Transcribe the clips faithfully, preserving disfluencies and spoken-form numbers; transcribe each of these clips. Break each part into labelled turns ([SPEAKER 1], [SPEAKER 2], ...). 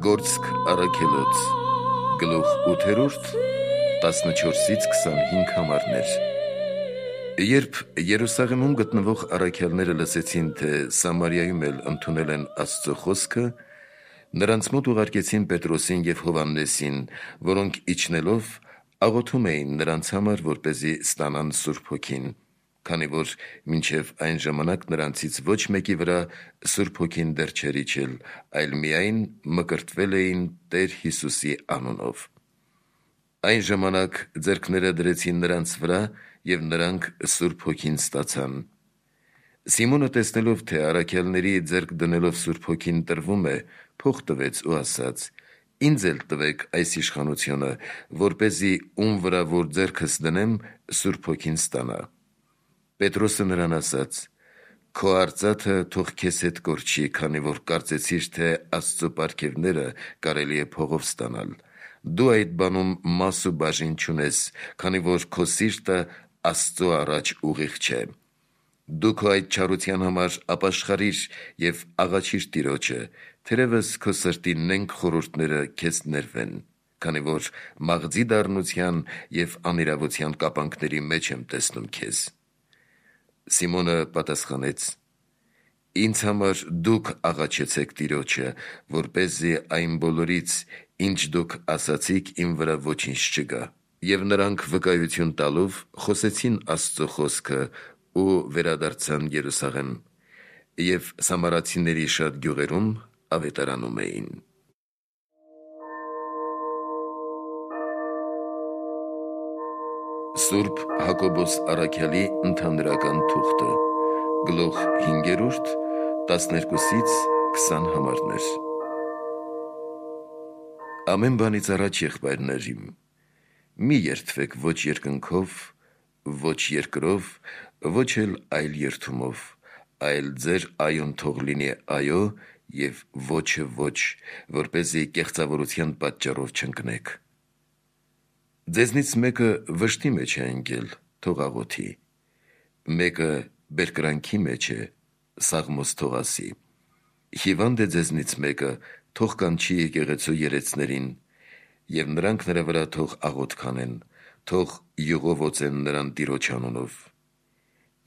[SPEAKER 1] Գործք առաքելոց գլուխ ութերորդ տասնչորսից քսանհինգ համարներ։ Երբ Երուսաղեմում գտնվող առաքյալները լսեցին, թե Սամարիայում էլ ընդունել են Աստծո խոսքը, նրանց մոտ ուղարկեցին Պետրոսին և Հովհաննեսին, որոնք իջնելով աղոթում էին նրանց համար, որպեսզի ստանան Սուրբ Հոգին, քանի որ մինչև այն ժամանակ նրանցից ոչ մեկի վրա Սուրբ Հոգին դեռ չէր իջել, այլ միայն մկրտվել էին Տեր Հիսուսի անունով։ Այն ժամանակ ձեռքները դրեցին նրանց վրա, և նրանք Սուրբ Հոգին ստացան։ Սիմոնը, տեսնելով, թե առաքյալների ձեռք դնելով Սուրբ Հոգին տրվում է, փող տվեց ու ասաց. «Ինձ էլ տվեք այս իշխանությունը, որպեսզի ում վրա որ ձեռքս դնեմ, Սուրբ Հոգին ստանա»։ Պետրոսը նրան ասաց. «Քո արծաթը թող քեզ հետ կորչի, քանի որ կարծեցիր, թե Աստծո պարգևները կարելի է փողով ստանալ։ Դու այդ բանում մաս ու բաժին չունես, քանի որ քո սիրտը Աստծո առաջ ուղիղ չէ։ Դու քո այդ չարության համար ապաշխարիր և աղաչիր Տիրոջը, թերևս քո սրտի նենգ խորհուրդները քեզ ներվեն, քանի որ մաղձի դառնության և անիրավության կապանքների մեջ եմ տեսնում քեզ»։ Սիմոնը պատասխանեց. «Ինձ համար դուք աղաչեցեք Տիրոջը, որպեսզի այն բոլորից, ինչ դուք ասացիք, իմ վրա ոչինչ չգա»։ Եվ նրանք վկայություն տալով խոսեցին Աստծո խոսքը ու վերադարձան Երուսաղեմ, և սամարացիների շատ գյուղերում ավետարանում էին։ Սուրբ Հակոբոս առաքյալի ընդհանրական թուղթը գլուխ հինգերորդ տասներկուսից քսան համարներ։ Ամեն բանից առաջ, եղբայրներ իմ, մի երդվեք ոչ երկնքով, ոչ երկրով, ոչ էլ այլ երդումով, այլ ձեր այոն թող լինի այո և ոչը ոչ, որպեսզի կեղծավորության պատճառով չընկնեք։ Ձեզնից մեկը վշտի մեջ է ընկել, թող աղոթի, մեկը բերկրանքի մեջ է, սաղմոս թող ասի։ Հիվանդ է ձեզնից մեկը, թող կանչի եկեղեցու երեցներին, և նրանք նրա վրա թող աղոթք անեն, թող յուղով օծեն նրան Տիրոջ անունով։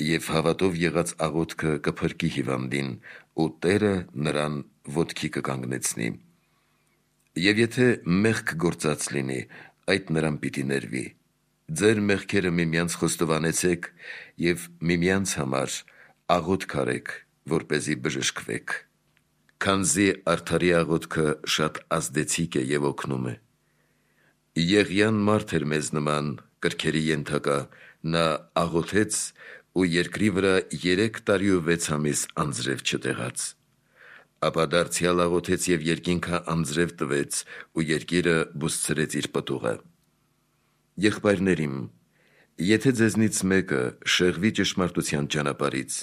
[SPEAKER 1] Եվ հավատով եղած աղոթքը կփրկի հիվանդին, ու Տերը նրան ոտքի կկանգնեցնի։ Եվ եթե մեղք գործած լինի, այդ նրան պիտի ներվի։ Ձեր մեղքերը միմյանց խոստովանեցեք և միմյանց համար աղոթք արեք, որպեսզի բժշկվեք։ Քանզի արդարի աղոթքը շատ ազդեցիկ է և օգնում է։ Եղիան մարդ էր մեզ նման, կրքերի ենթակա, նա աղոթեց ու երկրի վրա երեք տարի ու վեց ամիս անձրև չտեղաց։ Ապա դարձյալ աղոթեց և երկինքը անձրև տվեց, ու երկիրը բուսցրեց իր պտուղը։ Եղբայրներ իմ, եթե ձեզնից մեկը շեղվի ճշմարտության ճանապարհից,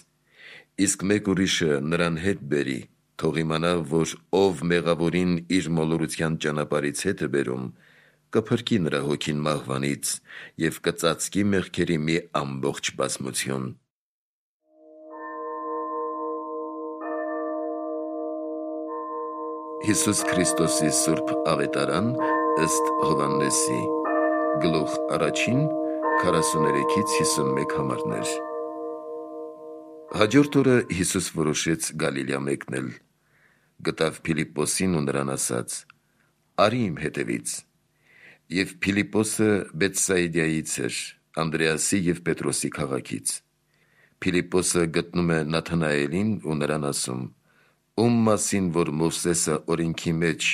[SPEAKER 1] իսկ մեկ ուրիշը նրան հետ բերի, թող իմանա, որ ով մեղավորին իր մոլորության ճանապարհից հետ է բերում, կփրկի նրա հոգին մահվանից և կծածկի մեղքերի մի ամբողջ բազմություն։ Հիսուս Քրիստոսի Սուրբ Ավետարան ըստ Հովհաննեսի գլուխ առաջին քառասուներեքից հիսունմեկ համարներ։ Հաջորդ օրը Հիսուս որոշեց Գալիլեա մեկնել, գտավ Փիլիպպոսին ու նրան ասաց. «Արի իմ հետևից»։ Եվ Փիլիպպոսը Բեթսայիդայից էր, Անդրեասի և Պետրոսի քաղաքից։ Փիլիպպոսը գտնում է Նաթանայելին ու նրան ասում. «Ում մասին որ Մովսեսը օրենքի մեջ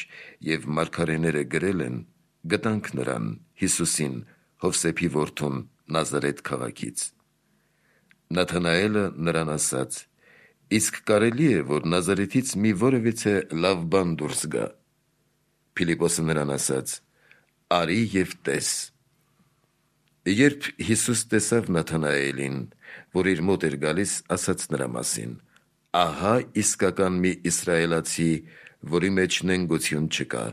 [SPEAKER 1] և մարգարեները գրել են, գտանք նրան, Հիսուսին, Հովսեփի որդուն, Նազարեթ քաղաքից»։ Նաթանայելը նրան ասաց. «Իսկ կարելի է, որ Նազարեթից մի որևիցե լավ բան դուրս գա»։ Փիլիպպոսը նրան ասաց. «Արի և տես»։ Երբ Հիսուս տեսավ Նաթանայելին, որ իր մոտ էր գալիս, ասաց նրա մասին. «Ահա իսկական մի իսրայելացի, որի մեջ նենգություն չկա»։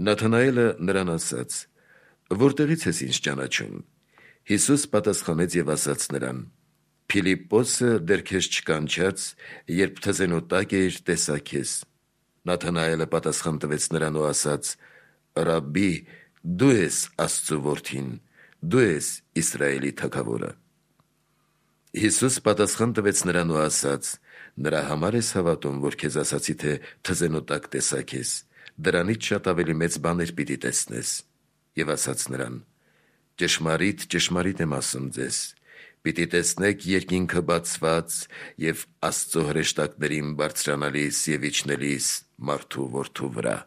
[SPEAKER 1] Նաթանայելը նրան ասաց. «Որտեղից ես ինձ ճանաչում»։ Հիսուս պատասխանեց և ասաց նրան. «Փիլիպպոսը դեռ քեզ չկանչած, երբ թզենու տակ էիր, տեսա քեզ»։ Նաթանայելը պատասխան տվեց նրան ու ասաց. «Ռաբբի, դու ես Աստծու որդին, դու ես Իսրայելի թագավորը»։ Հիսուս պատասխան տվեց նրան ու ասաց. «Նրա համար ես հավատում, որ քեզ ասացի, թե թզենու տակ տեսա քեզ, դրանից շատ ավելի մեծ բաներ պիտի տեսնես»։ Եվ ասաց նրան. «Ճշմարիտ, ճշմարիտ եմ ասում ձեզ. պիտի տեսնեք երկինքը բացված և Աստծո հրեշտակներին բարձրանալիս և իջնելիս մարդու որդու վրա»։